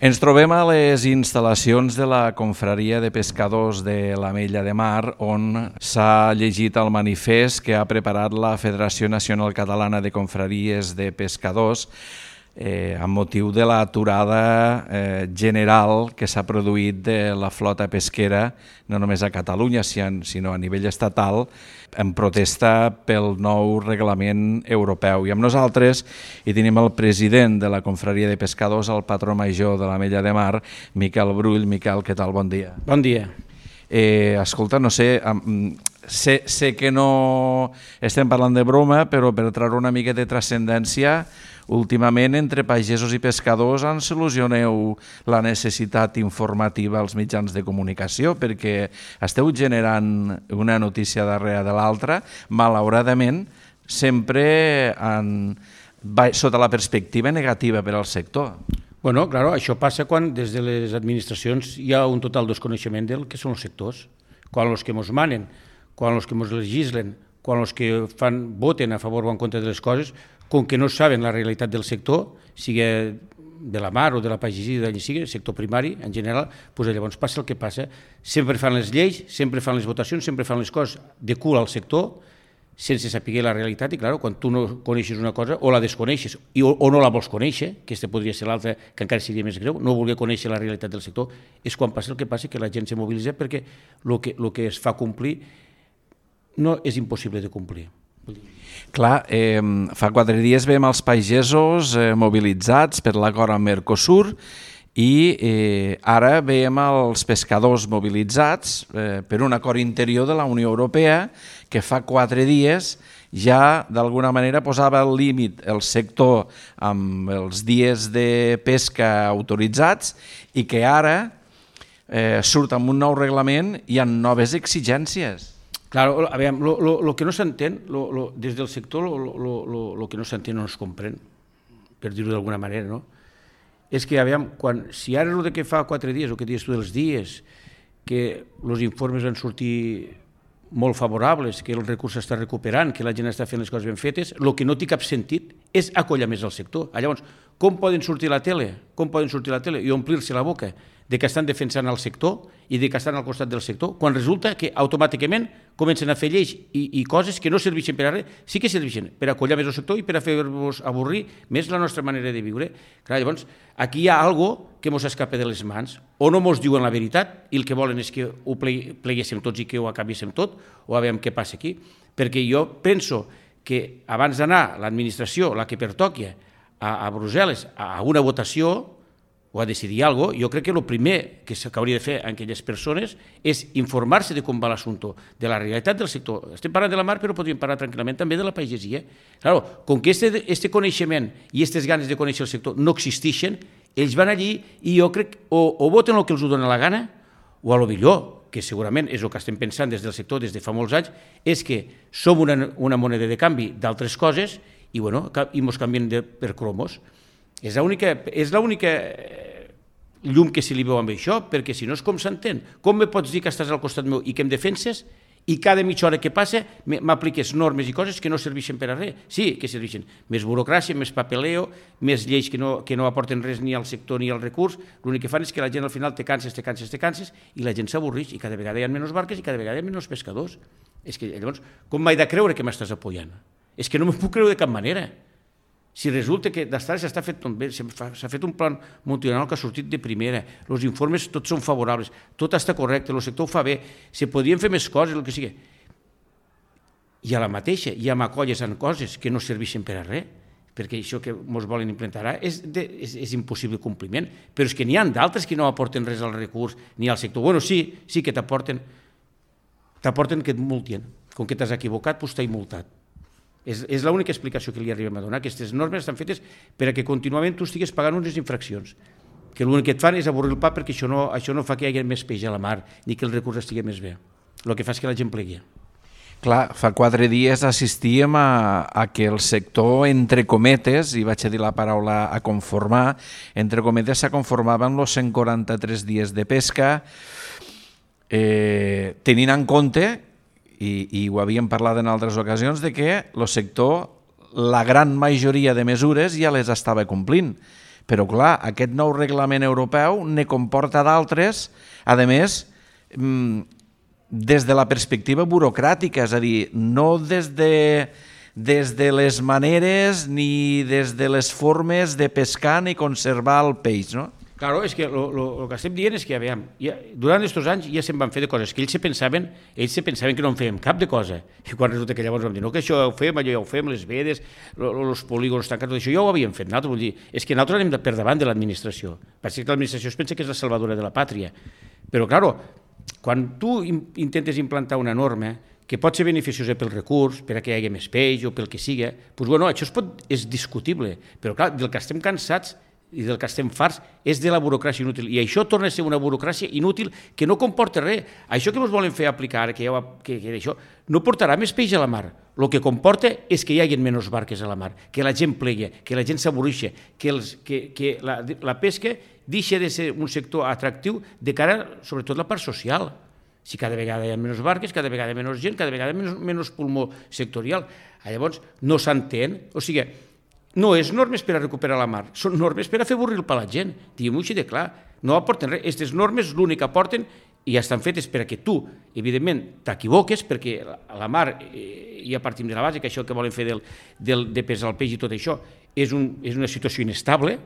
Ens trobem a les instal·lacions de la Confraria de Pescadors de l'Ametlla de Mar, on s'ha llegit el manifest que ha preparat la Federació Nacional Catalana de Confraries de Pescadors amb motiu de l'aturada general que s'ha produït de la flota pesquera, no només a Catalunya, sinó a nivell estatal, en protesta pel nou reglament europeu. I amb nosaltres hi tenim el president de la Confraria de Pescadors, el patró major de l'Ametlla de Mar, Miquel Brull. Miquel, què tal? Bon dia. Bon dia. Escolta, no sé, sé que no estem parlant de broma, però per treure una mica de transcendència, últimament entre pagesos i pescadors ens solucioneu la necessitat informativa als mitjans de comunicació, perquè esteu generant una notícia darrere de l'altra, malauradament, sempre sota la perspectiva negativa per al sector. Bueno, claro, això passa quan des de les administracions hi ha un total desconeixement del que són els sectors. Quan els que ens manen, quan els que ens legislen, quan els que voten a favor o en contra de les coses, com que no saben la realitat del sector, sigui de la mar o de la pagesia, d'allà sigui, sector primari en general, doncs llavors passa el que passa. Sempre fan les lleis, sempre fan les votacions, sempre fan les coses de cul al sector, sense saber la realitat, i clar, quan tu no coneixes una cosa o la desconeixes o no la vols conèixer, que aquesta podria ser l'altra, que encara seria més greu, no voler conèixer la realitat del sector, és quan passa el que passa, que la gent se mobilitza perquè el que es fa complir no és impossible de complir. Clar, fa 4 dies veiem els pagesos mobilitzats per l'acord amb Mercosur i ara veiem els pescadors mobilitzats per un acord interior de la Unió Europea que fa 4 dies ja d'alguna manera posava el límit el sector amb els dies de pesca autoritzats i que ara surt amb un nou reglament i amb noves exigències. Claro, a veure, el que no s'entén, des del sector, el que no s'entén no es comprèn, per dir-ho d'alguna manera, no? És que, a veure, si ara el que fa 4 dies, el que dius tu dels dies, que els informes van sortir molt favorables, que el recurs s'està recuperant, que la gent està fent les coses ben fetes, el que no té cap sentit és acollar més el sector. Llavors, com poden sortir a la tele? I omplir-se la boca de que estan defensant el sector i de que estan al costat del sector, quan resulta que automàticament comencen a fer lleis i coses que no serveixen per a res, sí que serveixen per acollar més el sector i per a fer-vos avorrir més la nostra manera de viure. Clar, llavors, aquí hi ha alguna que ens escapa de les mans, o no ens diuen la veritat i el que volen és que ho pleguéssim tots i que ho acabéssim tot, o a veure què passa aquí. Perquè jo penso que abans d'anar l'administració, la que pertoqui a Brussel·les, a una votació, o a decidir alguna cosa, jo crec que el primer que s'hauria de fer a aquelles persones és informar-se de com va l'assumpte, de la realitat del sector. Estem parlant de la mar, però podríem parlar tranquil·lament també de la pagesia. Claro, com que aquest coneixement i aquestes ganes de conèixer el sector no existeixen, ells van allí i jo crec o voten el que els dona la gana, o a lo millor, que segurament és el que estem pensant des del sector des de fa molts anys, és que som una moneda de canvi d'altres coses i ens canvien per cromos. És l'única llum que se li veu amb això, perquè si no és com s'entén. Com me pots dir que estàs al costat meu i que em defenses i cada mitja hora que passa m'apliques normes i coses que no serveixen per a res? Sí, que serveixen. Més burocràcia, més papeleo, més lleis que no aporten res ni al sector ni al recurs. L'únic que fan és que la gent al final te canses i la gent s'avorreix i cada vegada hi ha menys barques i cada vegada hi ha menys pescadors. És que llavors, com m'he de creure que m'estàs apoyant? És que no m'ho puc creure de cap manera. Si resulta que d'estar s'ha fet tot bé, s'ha fet un plan multinacional que ha sortit de primera, els informes tots són favorables, tot està correcte, el sector ho fa bé, se podrien fer més coses, el que sigui. I a la mateixa ja m'acolles en coses que no serveixen per a res, perquè això que ens volen implementar és impossible compliment, però és que n'hi ha d'altres que no aporten res al recurs ni al sector. Bueno, sí que t'aporten que et multien. Com que t'has equivocat, doncs t'has multat. És l'única explicació que li arribem a donar. Aquestes normes estan fetes perquè contínuament tu estigues pagant unes infraccions, que l'únic que et fan és avorrir el pa perquè això no fa que hi hagi més peix a la mar ni que el recurs estigui més bé. El que fa és que la gent plegui. Clar, fa 4 dies assistíem a que el sector, entre cometes, i vaig a dir la paraula a conformar, entre cometes s'ha conformat amb els 143 dies de pesca, tenint en compte i ho havíem parlat en altres ocasions, de que el sector, la gran majoria de mesures ja les estava complint, Però, clar, aquest nou reglament europeu ne comporta d'altres, a més, des de la perspectiva burocràtica, és a dir, no des de les maneres ni des de les formes de pescar ni conservar el peix, no? Claro, és que el que estem dient és que, aviam, durant aquests anys ja se'n van fer de coses que ells se pensaven que no en fèiem cap de cosa. I quan resulta que llavors vam dir, no, que això ja ho fem, allò ja ho fem, les vedes, els polígons tancats, tot això ja ho havíem fet nosaltres. Vull dir, és que nosaltres anem per davant de l'administració. Perquè l'administració es pensa que és la salvadora de la pàtria. Però, claro, quan tu intentes implantar una norma que pot ser beneficiosa pel recurs, per a que hi hagi més peix o pel que sigui, doncs, bueno, això és discutible. Però, clar, del que estem cansats i del que estem farts és de la burocràcia inútil. I això torna a ser una burocràcia inútil que no comporta res. Això que ens volen fer aplicar, que això, no portarà més peix a la mar. El que comporta és que hi hagi menys barques a la mar, que la gent plegui, que la gent s'avorrixa, que la pesca deixa de ser un sector atractiu de cara, sobretot, a la part social. Si cada vegada hi ha menys barques, cada vegada menys gent, cada vegada menys pulmó sectorial. Llavors, no s'entén. O sigui, no és normes per a recuperar la mar, són normes per a fer avorrir per la gent. Diguem-ho així de clar. No aporten res. Aquestes normes l'únic que aporten i estan fetes per a que tu, evidentment, t'equivoques, perquè la mar, ja partim de la base, que això que volen fer de pesar el peix i tot això, és una situació inestable,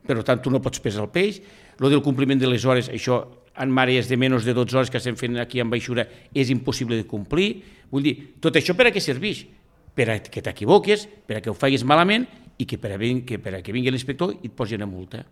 per tant, tu no pots pesar el peix. Lo del compliment de les hores, això, en mares de menys de 12 hores que estem fent aquí en baixura, és impossible de complir. Vull dir, tot això per a què serveix? Per a que t'equivoques, per a que ho facis malament i que per a que vingui l'inspector i et posi una multa.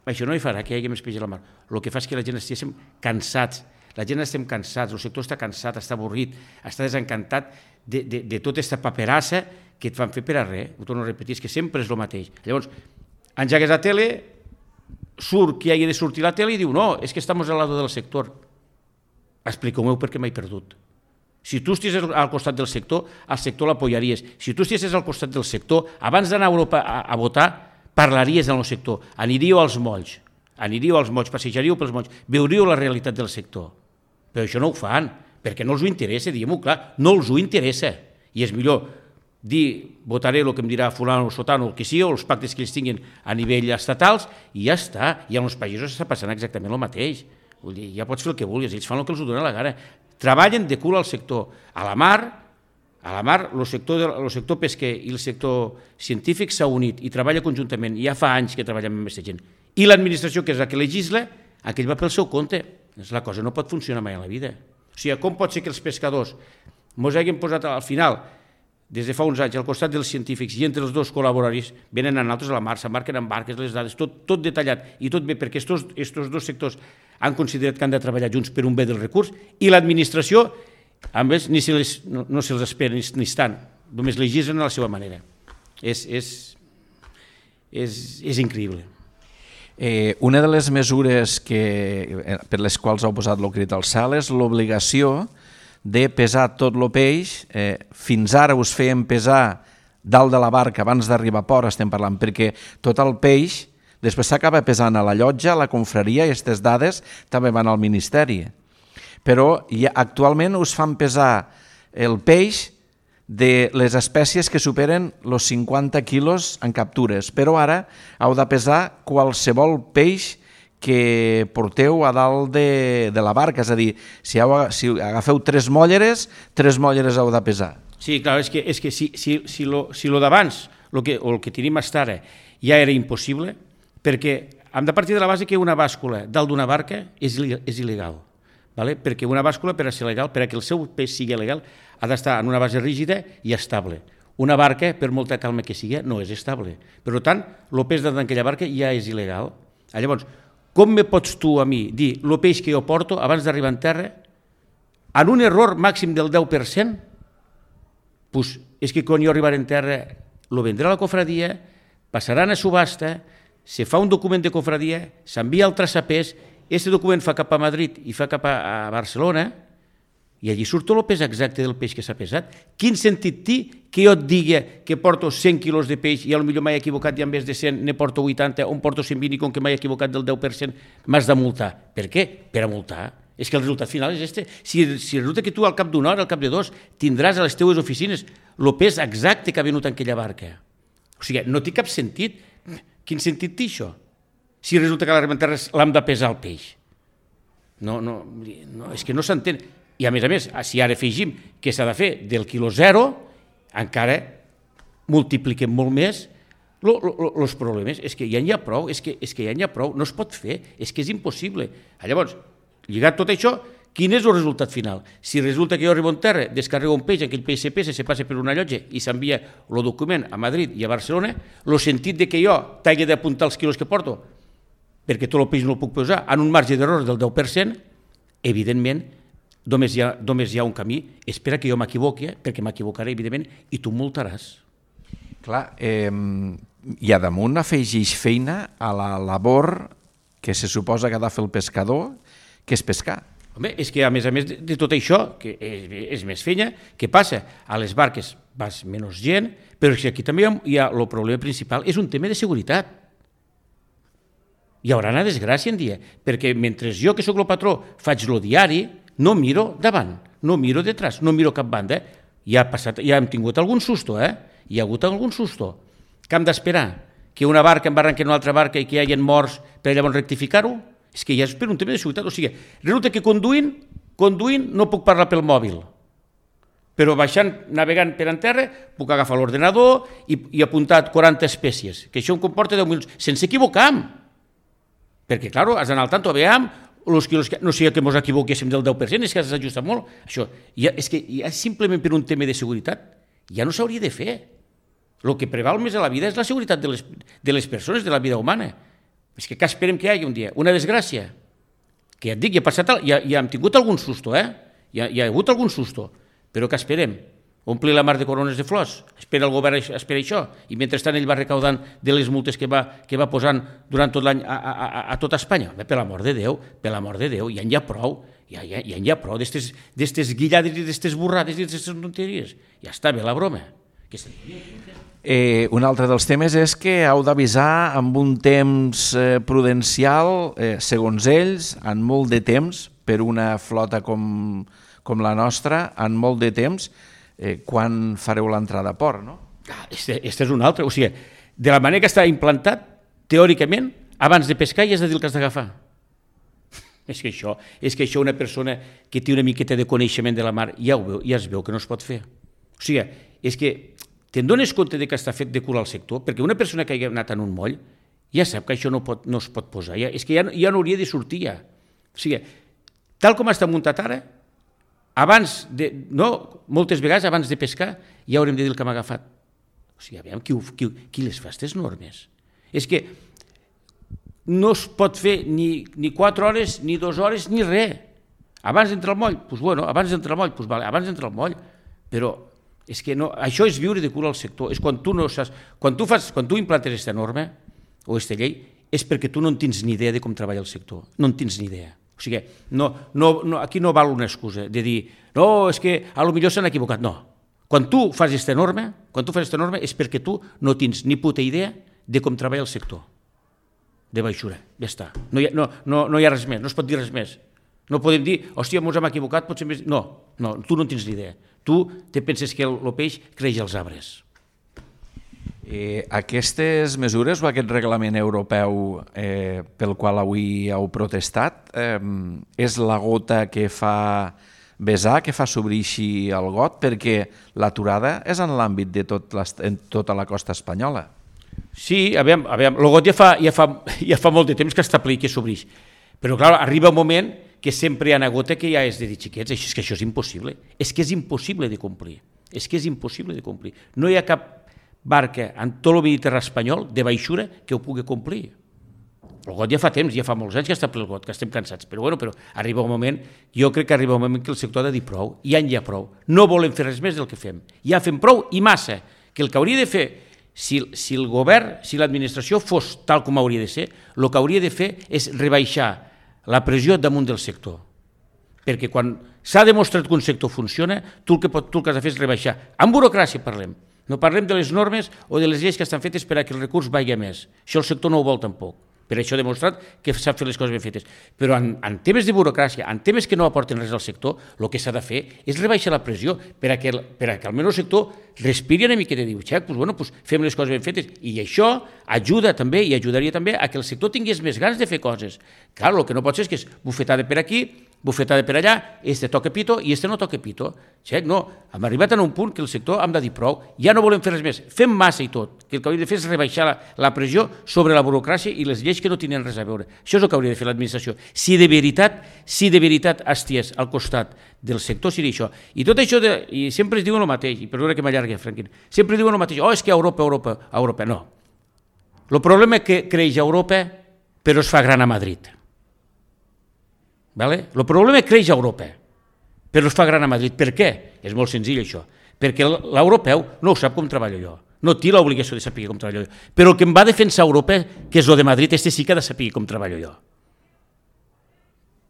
Això no hi farà que hi hagi més peix a la mar. El que fa és que la gent estiguem cansats. La gent estem cansats, el sector està cansat, està avorrit, està desencantat de tota aquesta paperassa que et fan fer per a res. Ho torno a repetir, és que sempre és el mateix. Llavors, engegues la tele, surt qui hagi de sortir a la tele i diu no, és que estem al lado del sector. Expliqueu-me per què m'he perdut. Si tu estiguessis al costat del sector, al sector l'apoyaries. Si tu estiguessis al costat del sector, abans d'anar a Europa a votar, parlaries amb el sector. Aniríeu als molls, passejaríeu pels molls, veuríeu la realitat del sector. Però això no ho fan, perquè no els ho interessa, diguem-ho clar, no els ho interessa. I és millor dir, votaré el que em dirà fulano o sotano, el que sigui, o els pactes que ells tinguin a nivell estatals, i ja està. I en els països està passant exactament el mateix. Vull dir, ja pots fer el que vulguis, ells fan el que els dona la gana. Treballen de cul al sector. A la mar, el sector pesquer i el sector científic s'ha unit i treballa conjuntament. Ja fa anys que treballem amb aquesta gent. I l'administració, que és la que legisla, aquell va pel seu compte. La cosa no pot funcionar mai a la vida. O sigui, com pot ser que els pescadors ens hagin posat al final, des de fa uns anys, al costat dels científics i entre els dos col·laboraris, venen a nosaltres a la mar, s'embarquen en barques, les dades, tot detallat i tot bé, perquè aquests dos sectors han considerat que han de treballar junts per un bé del recurs, i l'administració, a més, no se'ls espera ni estan, només legislen a la seva manera. És increïble. Una de les mesures per les quals heu posat el crit al cel és l'obligació de pesar tot el peix. Fins ara us feien pesar dalt de la barca abans d'arribar a port, estem parlant, perquè tot el peix després s'acaba pesant a la llotja, a la confraria, i aquestes dades també van al Ministeri. Però actualment us fan pesar el peix de les espècies que superen els 50 quilos en captures, però ara heu de pesar qualsevol peix que porteu a dalt de la barca, és a dir, si agafeu 3 mòlleres heu de pesar. Sí, clar, és que si lo d'abans, el que tenim fins ara, ja era impossible, perquè hem de partir de la base que una bàscula dalt d'una barca és il·legal, perquè una bàscula, per a ser legal, per a que el seu pes sigui legal, ha d'estar en una base rígida i estable. Una barca, per molta calma que sigui, no és estable. Per tant, el pes d'aquella barca ja és il·legal. Llavors, com me pots tu a mi dir el peix que jo porto abans d'arribar en terra, en un error màxim del 10%, doncs és que quan jo arribaré en terra, lo vendrà a la cofradia, passaran a subhasta, se fa un document de cofradia, s'envia al traçapès, aquest document fa cap a Madrid i fa cap a Barcelona, i allí surt el pes exacte del peix que s'ha pesat. Quin sentit té que jo et digui que porto 100 quilos de peix i potser m'he equivocat i en vez de 100 ne porto 80 o en porto 120 i com que m'he equivocat del 10% m'has de multar? Per què? Per a multar. És que el resultat final és este. Si resulta que tu al cap d'una hora, al cap de 2, tindràs a les teues oficines el pes exacte que ha venut en aquella barca. O sigui, no té cap sentit. Quin sentit té això? Si resulta que l'arribament terrestre l'hem de pesar el peix. No, és que no s'entén. I a més, si ara afegim que s'ha de fer del quilo zero, encara multipliquem molt més els problemes. És que ja n'hi ha prou, no es pot fer, és que és impossible. Llavors, lligat tot això, quin és el resultat final? Si resulta que jo arribo en terra, descarrego un peix, aquell peix se pesa, se passa per una llotja i s'envia el document a Madrid i a Barcelona, el sentit de que jo t'hagi d'apuntar els quilos que porto, perquè tot el peix no el puc posar, en un marge d'error del 10%, evidentment, només hi ha un camí, espera que jo m'equivoqui, perquè m'equivocaré, evidentment, i tu multaràs. Clar, i a damunt afegeix feina a la labor que se suposa que ha de fer el pescador, que és pescar. Home, és que a més de tot això, que és més feina, què passa? A les barques vas menys gent, però aquí també hi ha el problema principal, és un tema de seguretat. Hi haurà una desgràcia en dia, perquè mentre jo, que sóc el patró, faig el diari, no miro davant, no miro detrás, no miro cap banda. Ja hem tingut algun susto, Hi ha hagut algun susto. Que hem d'esperar? Que una barca embarranqui en una altra barca i que hi hagi morts per llavors rectificar-ho? És que ja és per un tema de seguretat. O sigui, resulta que conduint no puc parlar pel mòbil, però navegant per en terra, puc agafar l'ordenador i apuntar 40 espècies, que això em comporta 10 minuts, sense equivocar-me. Perquè, clar, has d'anar al tanto, veiem, no sigui que ens equivoquéssim del 10%, és que has ajustat molt. Això, és que ja simplement per un tema de seguretat ja no s'hauria de fer. El que preval més a la vida és la seguretat de les persones, de la vida humana. És que esperem que hi hagi un dia una desgràcia, que ja et dic, ja hem tingut algun susto, hi ha hagut algun susto, però que esperem? Omplir la mar de corones de flors, espera el govern, espera això, i mentrestant ell va recaudant de les multes que va posant durant tot l'any a tota Espanya. Per l'amor de Déu, ja n'hi ha prou, d'estes guillades i d'estes borrades i d'estes tonteries. Ja està bé la broma. Un altre dels temes és que heu d'avisar amb un temps prudencial, segons ells, en molt de temps, per una flota com la nostra, en molt de temps, quan fareu l'entrada a port, no? Este és un altre, o sigui, de la manera que està implantat, teòricament, abans de pescar ja has de dir el que has d'agafar. És que això una persona que té una miqueta de coneixement de la mar ja es veu que no es pot fer. O sigui, és que te'n dones compte que està fet de cul al sector, perquè una persona que hagi anat en un moll ja sap que això no es pot posar, és que ja no hauria de sortir ja. O sigui, tal com està muntat ara, moltes vegades abans de pescar ja haurem de dir el que hem agafat. O sigui, aviam, qui les fa, aquestes normes? És que no es pot fer ni 4 hores, ni 2 hores, ni res. Abans d'entrar al moll, doncs bueno, abans d'entrar al moll, però és que això és viure de cul al sector, és quan tu no saps, quan tu implantes aquesta norma o aquesta llei, és perquè tu no en tens ni idea de com treballa el sector, no en tens ni idea. O sigui, aquí no val una excusa de dir, no, és que potser s'han equivocat, no. Quan tu fas aquesta norma és perquè tu no tens ni puta idea de com treballa el sector de baixura, ja està. No hi ha res més, no es pot dir res més. No podem dir, hòstia, ens hem equivocat, potser més... No, tu no en tens ni idea. Tu te penses que el peix creix als arbres. Aquestes mesures o aquest reglament europeu pel qual avui heu protestat és la gota que fa vessar, que fa s'obrir el got, perquè l'aturada és en l'àmbit de tota la costa espanyola. Sí, aviam, el got ja fa molt de temps que està ple i que s'obrix. Però, clar, arriba un moment que sempre hi ha una gota que ja és de dir, xiquets, és que això és impossible. És que és impossible de complir. No hi ha cap barca en tot el Mediterrani espanyol de baixura que ho pugui complir. El got ja fa temps, ja fa molts anys que està ple el got, que estem cansats, però arriba un moment, jo crec que arriba un moment que el sector ha de dir prou, ja n'hi ha prou, no volem fer res més del que fem, ja fem prou i massa, que el que hauria de fer, si el govern, si l'administració fos tal com hauria de ser, el que hauria de fer és rebaixar la pressió damunt del sector, perquè quan s'ha demostrat que un sector funciona, tu el que has de fer és rebaixar, amb burocràcia parlem, no parlem de les normes o de les lleis que estan fetes per a que el recurs vagi més. Això el sector no ho vol tampoc, per això he demostrat que sap fer les coses ben fetes. Però en temes de burocràcia, en temes que no aporten res al sector, el que s'ha de fer és rebaixar la pressió per a que almenys el sector respiri una miqueta i diu, doncs fem les coses ben fetes. I això ajuda també i ajudaria també a que el sector tingués més ganes de fer coses. Clar, el que no pot ser és que és bufetada per aquí, bufetada per allà, este toca pito i este no toca pito. No, hem arribat a un punt que el sector hem de dir prou, ja no volem fer res més, fem massa i tot, que el que hauria de fer és rebaixar la pressió sobre la burocràcia i les lleis que no tenen res a veure. Això és el que hauria de fer l'administració. Si de veritat esties al costat del sector, seria això. I tot això, i sempre es diuen el mateix, i perdona que m'allargui, Franquín, sempre diuen el mateix, és que Europa, no. El problema és que creix a Europa, però es fa gran a Madrid. El problema creix a Europa, però es fa gran a Madrid. Per què? És molt senzill això. Perquè l'europeu no ho sap com treballo jo, no té l'obligació de saber com treballo jo. Però el que em va defensar Europa, que és el de Madrid, sí que ha de saber com treballo jo.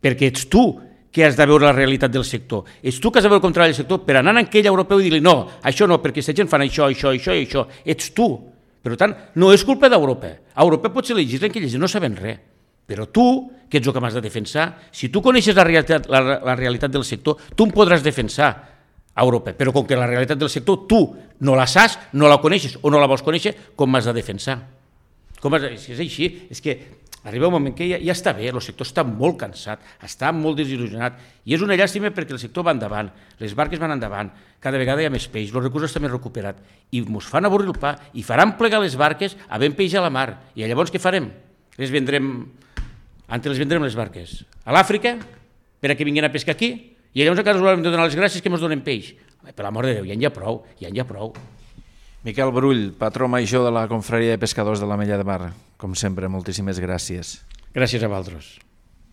Perquè ets tu que has de veure la realitat del sector. Ets tu que has de veure com treballa el sector per anar a aquell europeu i dir-li no, això no, perquè aquesta gent fan això. Ets tu. Per tant, no és culpa d'Europa. A Europa potser legislen que ells no saben res. Però tu, que ets el que m'has de defensar, si tu coneixes la realitat del sector, tu em podràs defensar a Europa. Però com que la realitat del sector tu no la saps, no la coneixes o no la vols conèixer, com m'has de defensar? És així, és que arriba un moment que ja està bé, el sector està molt cansat, està molt desil·lusionat, i és una llàstima perquè el sector va endavant, les barques van endavant, cada vegada hi ha més peix, els recursos estan més recuperats, i ens fan avorrir el pa, i faran plegar les barques havent peix a la mar, i llavors què farem? Les vendrem les barques a l'Àfrica, per a que vinguin a pescar aquí, i llavors encara us haurem de donar les gràcies que ens donen peix. Per l'amor de Déu, ja n'hi ha prou. Miquel Brull, patró major de la Confraria de Pescadors de l'Ametlla de Mar, com sempre, moltíssimes gràcies. Gràcies a vosaltres.